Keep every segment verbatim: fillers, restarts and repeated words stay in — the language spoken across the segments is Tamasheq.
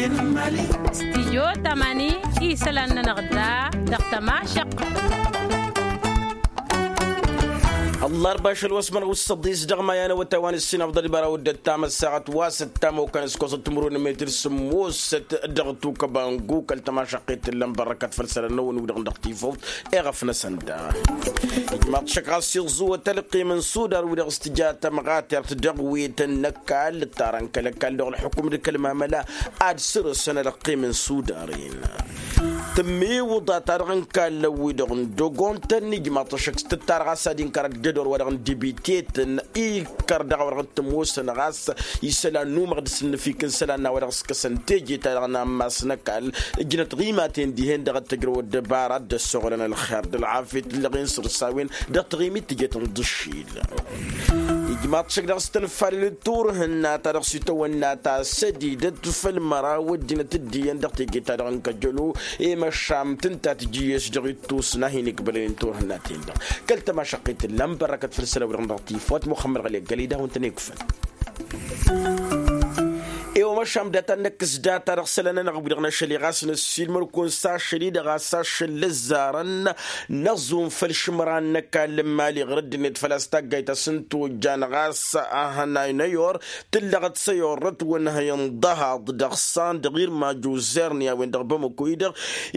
Stijyo tamani isălan-nănăɣ da dăɣ-tămašăq. Ăllarba ašăl wa s-mănɣus săḍis dăɣ-maya n-awătay wa n-ǝssin afḍăl ibara wădden tamăssaɣăt wa s-ăttam okăn s-kosăt timǝrwen n-metǝr sǝmmosăt dăɣ-tukăbangu kăl-tămašăqqet tǝllăm bărrăkăt făll-isălan n-awăn-wi-dăɣ dăɣ-tifawt eɣăf-năsăn da. Ijmaḍ šăk ɣas iẓẓuwăt ălqim n-sudar wi-dăɣ s-tǝja tămɣatert dăɣ-wetăn n-ăkall ǝttarăn kăl-ăkall dăɣ-ălḥukum d-kăl-mamăla ad-sărǝsăn ălqim n-sudar-in. Tǝmmiwǝḍa-ta-dăɣ n-kallăn-wi-dăɣ n-dogon-tăn ijmaḍ-t ăššăk s-tǝttar ɣas ad-inkăr ăddădor wa-dăɣ n-dibitetăn ikkăr dăɣ-a-wa-dăɣ t-ămoosăn ɣas isălan n-umăɣ d-asǝnnǝfik n-isălan n-a-wa-dăɣ s-kăsăn teje-ta-dăɣ n-ammas n-ăkall. Ǝjnăt ɣimaten dihen-dăɣ ad-tăjrăw ăddăbara dd-ăssoɣlăn ălxer d-ălɣafyăt ǝllăɣen săr-s a-wen dăɣ-taɣimit tǝjăt n-dd-ǝššil. Ijmaḍ-t šăk dăɣ-s tănfalăl d-turhǝnna ta dăɣ-s itawănna ta sădidăt făll-măraw ăddinăt dd-iyyăn dăɣ-teje-ta-dăɣ n-kăjălo i-măšam tǝnta tǝjǝyyes dăɣ-ittus n-ad-hin-iqbălăn turhǝnna-ten-dăɣ. Kăl-tămašăqqit ǝllan bărrăkăt făll-isălan-wi-dăɣ n-dăɣ-tifawt muxămmăd ɣăli ăggăl-i dăɣ-wăn-tăn-ikfăn. I-omăšam data n-năkk s-data dăɣ-isălan-nănăɣ wi-dăɣ n-ašăl i-ɣas năssiilmăr-kăwăn s-ašăl-i-dăɣ a-s ašăl ǝzzarăn n-aẓum făll-išǝmran n-ăkall n-imali ɣur-ăddinăt făl-a-s taggayt a-s n-tojjan ɣas ahănay n-ayor tǝllăɣăt s-ayor-ătwănhăy n-ḍăhaḍ dăɣ-san dăɣ-irmaj uzerni a-wen-dăɣ bamăko-i-dăɣ.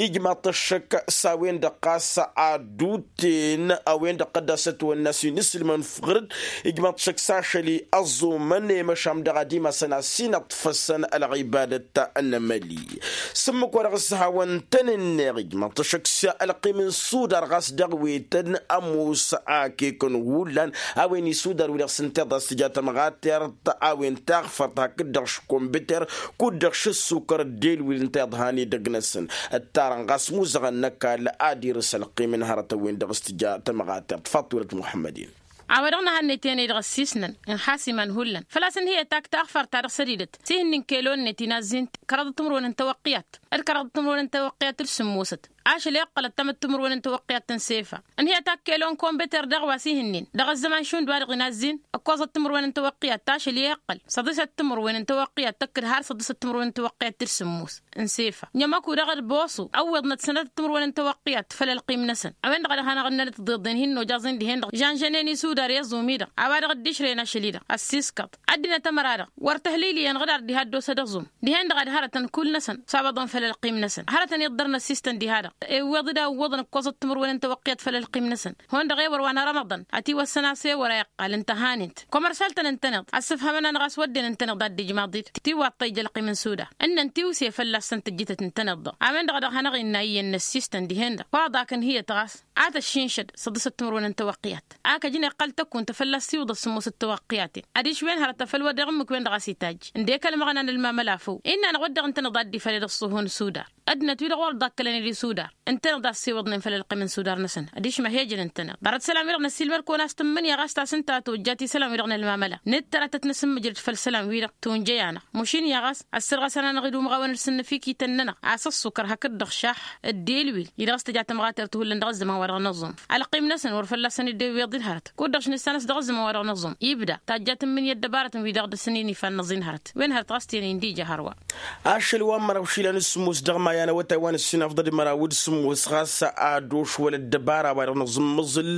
Ijmaḍ-t ăššăk s-a-wen-dăɣ ɣas ad-dd-utten a-wen-dăɣ qăddas ătwănna s-inǝsǝlmăn f-ɣǝr-dd. Ijmaḍ-t ăššăk s-ašăl-i ăẓumăn i-măšam dăɣ-ad-imasăn a-s inǝṭṭfăsăn ălɣibadăt n-emăli. S-ǝmmǝk wa dăɣ-s hawăn-tăn-ǝnneɣ ijmaḍ-t ăššăk s-ălqim n-sudar ɣas dăɣ-wetăn ămoos akek n-hullan a-wen isudar wi-dăɣ s-ǝnta iḍa s-tǝja tămɣatert a-wen taɣfărt hakd-dăɣ š-kombiter kud-dăɣ š-ǝssukăr dd-elwil ǝnta iḍhan edăgg-năsăn. Ǝttarăn ɣas muzăɣăn n-ăkall ad-irǝs ălqim n-hărătăn-wen-dăɣ s-tǝja tămɣatert faḍt wălăt muḥămmăd-in. A-wa-dăɣ nǝhannăy-ten-i-dăɣ ăssiisnăn n-iha s-iman hullan făl-a-s ǝnhǝyăt ak taɣfart-ta-dăɣ sădidăt s-ihǝnnin kelon-net inazzin kăraḍăt timǝrwen n-tawăqqiyat d-kăraḍăt timǝrwen n-tawăqqiyat d-sǝmmosăt. Ašăl iqqălăt tamăttimǝrwen n-tawăqqiyat n-sefa ǝnhǝyăt ak kelon kombeter dăɣ-wa s-ihǝnnin dăɣ-ăzzăman šund wa-dăɣ inazzin ǝkkoẓăt timǝrwen n-tawăqqiyat ašăl i-iqqăl săḍisăt timǝrwen n-tawăqqiyat tăkk d-har săḍisăt timǝrwen n-tawăqqiyat d-sǝmmos. N-sefa ǝnjămăku dăɣ-ălbosu ăwweḍnăt sănatăt timǝrwen n-tawăqqiyat făll-ălqim-năsăn. A-wen-dăɣ a dăɣ-hanăɣ-ǝnnălăt tiḍeḍen hin-nojăẓ-in dihen-dăɣ žănžănen isudar i-aẓum-i-dăɣ a-wa dăɣ-dd-išrăyăn ašăl-i-dăɣ ăssiiskăḍ ăddinăt ămăra-dăɣ wăr tăhliliyăn ɣǝdar diha dd-osa d-aẓum. Dihen-dăɣ ad-hărătăn kull-năsăn s-abăḍăn făll-ălqim-năsăn hărătăn iḍḍărăn ăssiistăn diha-dăɣ. Iwweḍ-dd a ǝwwăḍăn ǝkkoẓăt timǝrwen n-tawăqqiyăt făll-ălqim-năsăn. Hundăɣ ewăr wa n-rămăḍăn ătiwăssăn a-s ewăr a iqqal ǝnta a hanǝnt. Kămărsal-tăn ǝntăneḍ ăssǝfhămăn-anăɣ a-s wădden ǝntăneḍ ad-dd-ijmaḍ-dd tiwwaḍt ta ija ălqim n-suda. Ǝnnăn tiwse fălla-săn tǝjjǝtăt ǝntăneḍ-dăɣ a-wen-dăɣ a dăɣ-hanăɣ-innă iyyăn n-ăssiistăn dihen-dăɣ faḍa-k ǝnhǝyăt ɣas a tăššinšăd săḍisăt timǝrwen n-tawăqqiyăt. Ak ăjnăy iqqăl tăkkunt fălla-s tiwǝḍăt sǝmmosăt tawăqqiyaten. Adiš wen hărăt afăl wăr deɣ ǝmmǝk-wen-dăɣ a-s itajj ǝndek ălmăɣna n-ălmamăla făw. Innă-năɣ wăr deɣ ǝntăneḍ ad-dd-ifaled ăṣṣuhu n-sudar. Ăddinăt-wi-dăɣ wăr ḍakkălăn d-isudar ǝntăneḍ a ăssiwǝḍnen făll-ălqim n-sudar-năsăn. Adiš ma hi-ăjăn ǝntăneḍ ḍarăt isălan-wi-dăɣ năssiilmăd-kăwăn a-s tǝmmǝnǝya ɣas ta s-ǝnta a tojjat isălan-wi-dăɣ n-ălmamăla. Nǝttărătăt n-asǝmmǝjrǝd făll-isălan-wi-dăɣ tunjăy-anăɣ. Mušin-i a ɣas ăssărɣăsăn-anăɣ-dd umɣawăn d-sǝnnǝfikităn-nănăɣ a-s ăṣṣukăr hakd-dăɣ šaḥ. Dd-ilwil-i-dăɣ s-tǝja tămɣatert hullan dăɣ-ăzzăman wa dăɣ-năẓum. Ălqim-năsăn wăr fălla-săn dd-iwweḍ d-hărăt kud-dăɣ š-nǝssanăs dăɣ-ăzzăman wa dăɣ-năẓum ibda tajjat n-imǝnǝya ăddăbarătăn wi-dăɣ dăr-săn-in ifa n-năẓin hărăt. Wen hărăt ɣas tenen d-ija hărwa. Ašăl wa n-măraw išilan s-sǝmmos dăɣ-maya n-awătay wa n-ǝssin afḍăl d-măraw d-sǝmmos ɣas a dd-ošwăl ăddăbara wa dăɣ-nǝẓǝmmǝẓǝl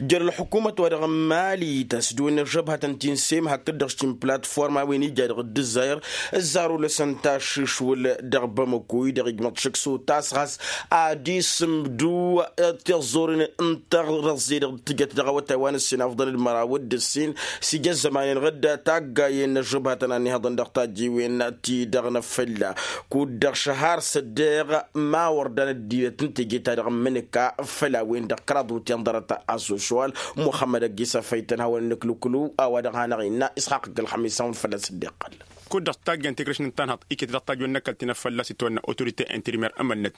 jer-ălḥukumăt wa dăɣ-n mali ta s-dd-wănna žăbhătăn ti n-sem hakd-dăɣ s-ti n-platform a-wen ija dăɣ-dd-ǝzzayăr. Ǝzzarul-năsăn taššǝšwǝl dăɣ-bamăko-i-dăɣ ijmăḍ šăkk s-otas ɣas ad-isǝmdǝw tiẓẓuren n-tărăẓẓe dăɣ-tǝjăt dăɣ-awătay wa n-ǝssin afḍăl d-măraw d-ǝssin. S-ija ăzzăman-en-dăɣ d-taggayen n-ažžăbhătăn a ănnihăḍăn dăɣ-tajjiwen-ti-dăɣ n-afălla kud-dăɣ šăhar s-ăddeɣ ma wăr dan ăddinăt n-teje-ta-dăɣ n-imǝnǝka făll-a-wen-dăɣ kăraḍ wǝtyan ḍarăt asoswal. Muxămmăd ăgg-isăfăy tăn-hawăn-nǝklǝklu a-wa dăɣ-hanăɣ-innă isxaqq ăgg-ălxămis a-wen fălla-s dd-iqqăl. Kud-dăɣ taggayăn tikrǝšnin tanhăḍt iket dăɣ-tajwen n-ăkall ti n-afălla s-itwănna autorite interimer ămălnăt.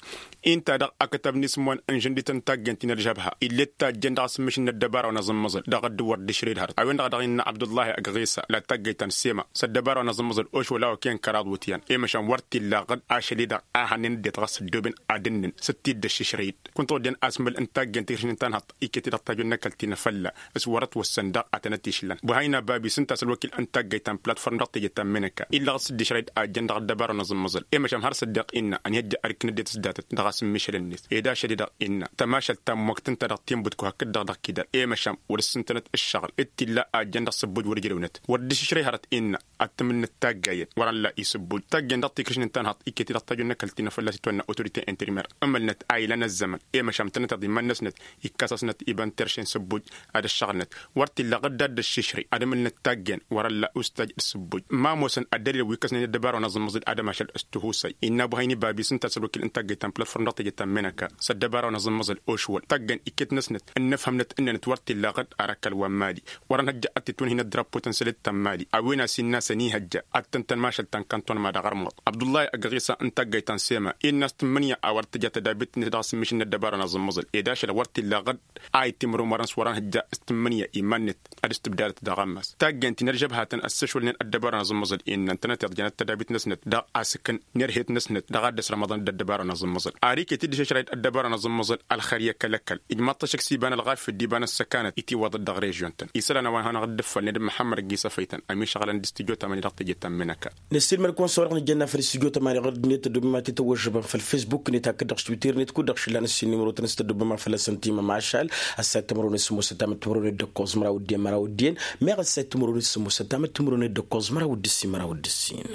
Inta-dăɣ akătab n-isǝm wa n-žăndităn taggayăn ti n-ălžăbha ill'-e d-tajjăn dăɣ-asǝmmǝšǝl n-ăddăbara wa n-aẓǝmmăẓăl dăɣ-ăddǝwăr d-išred hărăt a-wen-dăɣ a dăɣ-innă abdullahi ăgg ɣisa la taggayt ta n-sema s-ăddăbara wa n-aẓǝmmăẓăl ošwăl a okăyăn kăraḍ wǝtyan i-măšan wăr t-illa ɣǝd ašăl-i-dăɣ a hannăn ăddinăt ɣas ăddooben ad-ǝnnǝn s-t-dd-ăššǝšrăy-dd. Kunta oddin asmǝl n-taggayăn tikrǝšnin tanhăḍt iket-i dăɣ-tajwen n-ăkall ti n-afălla s-wăr-ătwăssan daɣ ad-tăn-ătišlan buhayna babi s-ǝnta a-s ălwăkil n-taggayt ta n-platform dăɣ-teje ta n-menăk. n-ăkall illăɣ-dd s-dd-išrăy-dd a ǝjjăn dăɣ-ăddăbara n-aẓǝmmăẓǝl. I-măšan har s-dd-iqqinna ănihăjja ărkǝnăt d-e-tǝsdatăt dăɣ-asǝmmišăl-net. Ed ašăl-i-dăɣ innă tămašălt ta n-măwăkt ǝnta dăɣ-tinbǝtku hakd-dăɣ dăɣ-kidal. I-măšan wăr ǝssǝntănăt ǝššăɣǝl d-t-illa a ǝjjăn dăɣ-sǝbbuj wăr ǝjrăwnăt wăr dd-išrăy hărăt innă ad-t-ǝmǝlnăt taggayăn wăr-ălla isǝbbuj taggayăn dăɣ-tikǝšnǝn ta n-haḍt iket-i-dăɣ tajju n-ăkall ti n-afălla s-itwănna autorite interimer. Ǝmǝlnăt a ilan ăzzăman i-măšan tănăteḍ iman-năsnăt ikkăs-asnăt iba n-terše n-sǝbbuj ad-ăššăɣǝlnăt. Wăr t-illa ɣǝdda dd-ăššišrǝy ad-ǝmǝlnăt taggayăn wăr-ălla ustaj d-sǝbbuj ma ămoosăn ăddălil wi ǝkkăsnen ăddăbara wa n-aẓǝmmăẓǝl ad-ămašal s-tihusăy. Innă abu hayni babi s-ǝnta a-s ălwăkil n-taggayt ta n-platform dăɣ-teje ta n-menăka s-ăddăbara wa n-aẓǝmmăẓǝl ošwăl taggayăn iket-năsnăt ǝnnăfhămnăt ǝnnănăt wăr t-illa ɣǝd. Ar ăkall wa n-mali wăr-ănhăjja ad-t-itwǝnhǝynăt drapo-tăn săl d-ta n-mali a-wen a-s innă a-s ănihăjja ad-tăn-tăn mašăl ta n-kantun ma dăɣ-ărmăḍ. Abdullahi ăgg ɣisa n-taggayt ta n-sema innă a-s tǝmmǝnǝya a wăr tǝja tădabit-net dăɣ-asǝmmišǝl n-ăddăbara n-aẓǝmmăẓǝl ed ašăl wăr t-illa ɣǝd. A ittimrǝw mărăn s-wăr-ănhăjja s-tǝmmǝnǝya iman-net ad-s tǝbdadăt daɣ ammas taggayăn ti n-ălžăbhatăn ăssăšwălnen ăddăbara n-aẓǝmmăẓǝl innă ǝntănăteḍ jănăt tădabit-năsnăt dăɣ-asǝkǝn n-erhet-năsnăt dăɣ-ad-dd-ăsrămăḍăn d-ăddăbara n-aẓǝmmăẓǝl. Ar iket-dd išăšrăy-dd ăddăbara n-aẓǝmmăẓǝl ălxăr i-ăkall-ăkall ijmaḍ-t ašăk s-iba n-ălɣafyăt d-iba n-ăssăkanăt i-tiwwăḍăt dăɣ-režion-tăn. Isălan a-wa n-hanăɣ-dd-ǝffălnen d-măḥămmăd ăgg-isăfăy-tăn ămišăɣălăn d-stujo tămani dăɣ-teje ta n-menăka. Năssiilmăd-kăwăn s-a-wa-dăɣ nǝjănna făll-stujo tămani ɣur-dd-net tăddoobem ad-t-tăwwăžžăbăm făll-facebook-net hakd-dăɣ s-twitter-net kud-dăɣ šǝllan ǝssin nimărotăn s-tăddoobem a fălla-săn timăm ašal. Ăssayăt timăronet sămoosăt tamăt timăronet d-ǝkkoẓ măraw d-en măraw d-en. Meɣ ăssayăt timăronet sămoosăt tamăt timăronet d-ǝkkoẓ măraw d-ǝssin măraw d-ǝssin.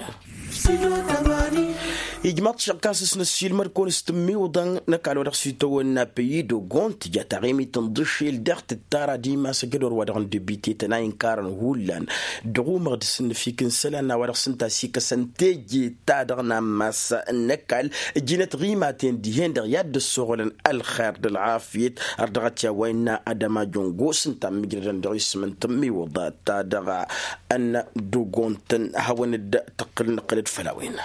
Ijmaḍ-t šăɣ kasǝs năssiilmăd-kăwăn s-tǝmmiwǝḍăn n-ăkall wa dăɣ-s itawănna păyi d-ogon tǝja taɣimit n-dăšel dăɣ-tǝttara d-imas ăjădor wa dăɣ-n debite tăn-a inkarăn hullan. Dăɣ-umăɣ d-sǝnnǝfik n-isălan n-a-wa dăɣ-s ǝnta a-s ikăsăn teje-ta-dăɣ n-ammas n-ăkall. Ǝjǝnăt ɣimaten dihen-dăɣ i-ad-dd-ăssoɣălăn ălxer d-ălɣafyăt. Ărdăɣăt i-a-wa innă adăma jongo s-ǝnta ămmiijrădăn dăɣ-isǝm n-tǝmmiwǝḍa-ta-dăɣ. Ănn d-ogon-tăn hawăn-dd-tăqqǝlăn nǝqqǝl-dd făll-a-wen.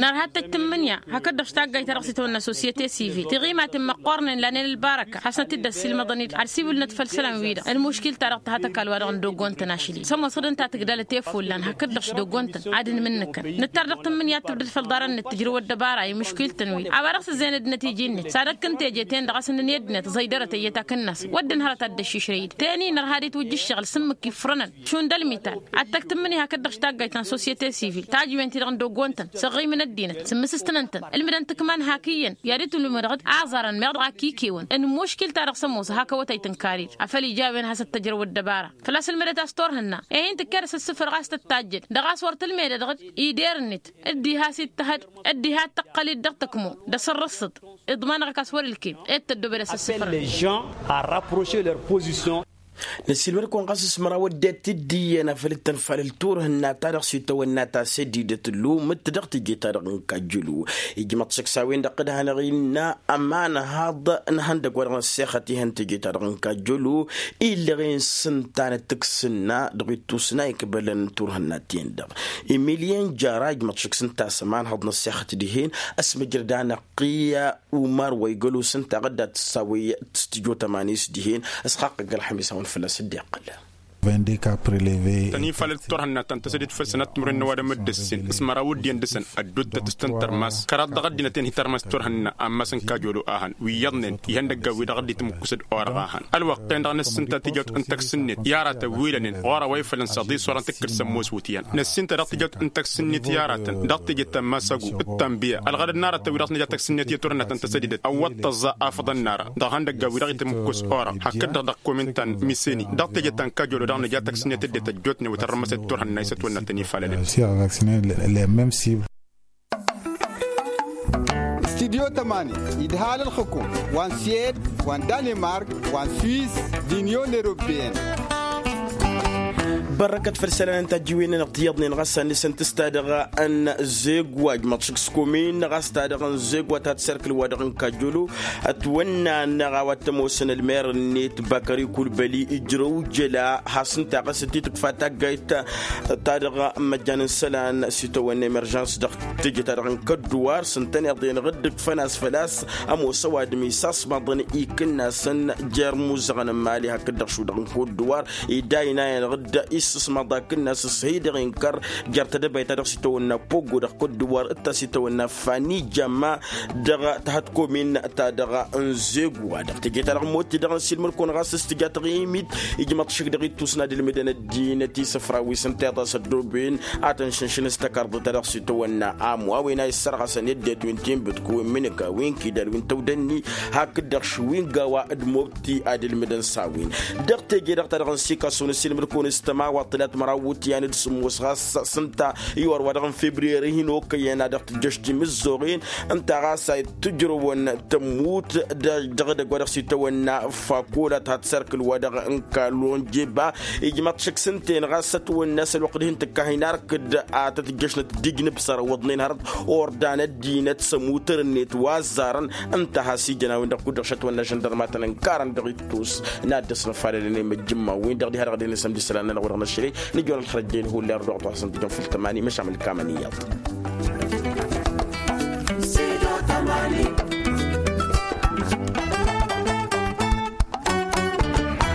Nărha d-tăjj tǝmmǝnǝya hakd-dăɣ s-taggayt ta dăɣ-s itawănna sosyete sivil tiɣimaten măqqoornen lanen ălbarăka hasnăt-dd-ăssiilmăḍăn-dd ad-siwǝlnăt făll-isălan-wi-dăɣ ălmuškil-ta-dăɣ tǝha tăkall-wa-dăɣ n-dogon-tăn ašli. Sămoosăd ǝnta a tǝgdalăt efullan hakd-dăɣ s-dogon-tăn ad-ǝnmǝnnǝkăn nǝttar dăɣ-tǝmmǝnǝya ad-tǝbdăd făll-iḍarăn-net tǝjrǝw ăddăbara i-muškil-tăn-wi a-wa dăɣ-s ǝzzeyăn ăddinăt iji-net s-ad-ăkk n-teje-ten-dăɣ a-s ǝnnǝn i-ăddinăt ẓăydărăt ăyyăt akǝnnas. Wădden hărăt ad-dd-ăššišrăy-dd teni nărha ad-itwǝjja ǝššăɣǝl s-ǝmmǝk ifrănăn šund ălmital ad-tăgg tǝmmǝnǝya hakd-dăɣ s-taggayt ta n-sosyete sivil tajǝwen-ti-dăɣ n-dogon-tăn săɣɣimǝn ăddinăt sǝmmǝsǝstăn-tăn ǝlmǝdăn tǝkma n-hak iyyăn i-ad-itǝlmǝdăɣ d-aẓarăn meɣ dăɣ-ak ikiwăn n-muškil-ta-dăɣ s-ămoos hak awătay tǝnkar-dd afăl ija a-wen has-ăttăjrăw ăddăbara. Făl-a-s ǝlmǝdăt a-s turhǝnna ehin tǝkked a-s ǝssǝfrăɣ a-s tăttajjăd dăɣ-a-s wăr tǝlmedădăɣ-dd ider-net dd-iha a-s ittăhăd dd-iha ad-tăqqăl-dd dăɣ-tăkmo d-asǝrrǝssǝḍ. Iḍmanăɣ-ak a-s wăr-ǝlkem ed tăddoobed asǝssǝfrăɣ. Năssiilmăd-kăwăn ɣas s-măraw ăddinăt dd-iyyăn afăl dd-tănfalăl turhǝnna-ta-dăɣ s-itawănna ta sădidăt lumǝt dăɣ-teje-ta-dăɣ n-kajjălu. Ijmăḍ-t šăkk s-a-wen-dăɣ d-hanăɣ-innă ămanhăḍ n-ihăndăgg wa dăɣ-năssexăt ihăn teje-ta-dăɣ n-kajjălu. Illăɣen s-ǝnta n-tǝksǝnna dăɣ-ittusna ikbălăn turhǝnna-ten-dăɣ. Emilyen jara ijmăḍ šăkk s-ǝnta a-s ămanhăḍ năssexăt dihen ăsmăjrăd-anăɣ qiyya umar wa igălos ǝnta ɣǝdda tǝssawăy tǝstǝjo tămanis dihen. Ăsxaqq ăgg-ălxămis a-wen fălla-s dd-iqqăl. Tăn-ifalăl turhǝnna ta n-tăsădit făll-sănat timǝrwen n-ăwadǝm d-ǝssin s-măraw ăddin dăɣ-săn ădduuttăt s-tăn-tărmas kăraḍ dăɣ-ăddinăt-en hi-tărmas turhǝnna. Ammas n-kajolo a hăn wi iyyăḍnen ihăndăggan wi-dăɣ dd-itǝmǝkkus d-orăɣ a hăn ălwăqq-en-dăɣ năssinta tijawt n-taksǝnnet i-aratăn wi lănen ɣur-a-wa ifălăn s-aḍis wăren tǝkkǝd sămmos wǝtyan. Năssinta dăɣ-tijawt n-taksǝnnet i-aratăn dăɣ-teje ta n-masăgu d-tanbiya ălɣădăd n-aratăn wi dăɣ-s nǝja taksǝnnet i-turhǝnna ta n-tăsădidet ăwwăḍ tăẓẓa afăḍăn n-ara dăɣ-ihăndăggan wi dăɣ-itǝmǝkkus orăɣ hakd-dăɣ dăɣ-komin ta n-miseni. Dăɣ-teje ta n-kajolo dăɣ-nǝja taksǝnnet dd-tăjjootnen wi tărrămăset turhǝnna isătwănna tăn-ifalălăn. Studyo tămani idhal ălxǝkum wa n-siyed wa n-danimark wa n-swis d-inyon europeyăn. Bărrăkăt făll-isălan n-tajjiwen-nănăɣ ti iyyăḍnen ɣas a nǝsǝntǝs-ta-dăɣ n-zegwaj măḍšǝk s-komin ɣas ta-dăɣ n-zegwaj ta tǝsserkǝl wa dăɣ-n kajjolo. Ătwănna-năɣ a-wa t-ămoosăn ălmer-net bakări kulbăli ijrăw jăla has-ǝnta ɣas dd-tǝkfa taggayt ta dăɣ-măjjan n-isălan s-itawănna emerjans dăɣ-teje ta dăɣ-n kădduwar s-ǝntăneḍ-enăɣ dd-ǝkfăn a-s făl-a-s ămoos ăwadǝm isasmaḍăn ikǝnnasăn jer-imuzăɣăn n-imali hakd-dăɣ šudăɣ n-kădduwar. Ed a ina-enăɣ issǝsmaḍ akǝnnas s-hidăɣ inkăr jer-tedăbayt-ta-dăɣ s-itawănna pogo dăɣ-kudduwar d-ta s-itawănna fanijama dăɣ-tahătkomin-ta-dăɣ n-zegu wa dăɣ-teje-ta-dăɣ motti dăɣ-nǝsilmăd-kăwăn ɣas s-tǝja taɣimit ijmăḍ šik dăɣ-ittus n-ad-ǝlmǝdăn ăddinăt isǝfraw wi s-ǝnta iḍas ăddooben ad-tăn-šǝnšǝn s-takărḍăt-ta-dăɣ s-itawănna amu a-wen a issărɣăsăn i-ăddinăt wi n-tinbǝtku wi n-imǝnǝka wi n-kidal wi n-tawdănni hakd-dăɣ šwingawa d-mobti ad-ǝlmǝdăn s-a-wen. Dăɣ-teje-dăɣ-ta-dăɣ n-sikasu n-asilmǝd-kăwăn s-tămawaḍt tǝlat măraw wutyan d-sǝmmos ɣas s-ǝnta iwar wa dăɣ-n febriyeri hin-okăyăn a dăɣ-tǝjjăš timǝzzoɣen ǝnta ɣas a ittǝjrăwăn tămmut dăɣ-edăgg wa dăɣ-s itawănna fakola tăhăt serkǝl wa dăɣ-n kalonjeba. Ijmăḍ šăkk s-ǝnta-en ɣas ătwănna s-ălwăqq dihen tǝkkahin arkǝd a tăt-ǝjjăšnăt dd-ijnǝb săr ăwwăḍnen hărăt ordan ăddinăt s-ămutăr-net wa ăzzarăn. Ǝnta a has-ijăn a-wen-dăɣ kud-dăɣ šătwănna žăndărmatăn ǝnkarăn dăɣ-ittus n-ad-dăɣ-s năfalălăn i-măjjǝmma-wen-dăɣ diha-dăɣ ad-ănn isămdi isălan-nănăɣ wa dăɣ-năšrăy. Nǝjăwăn ălxărăjjăyăn hullan dăɣ-ăṭṭuḥăsăn tǝjăn făll-tămani măšan mălkamăn iyyăḍ.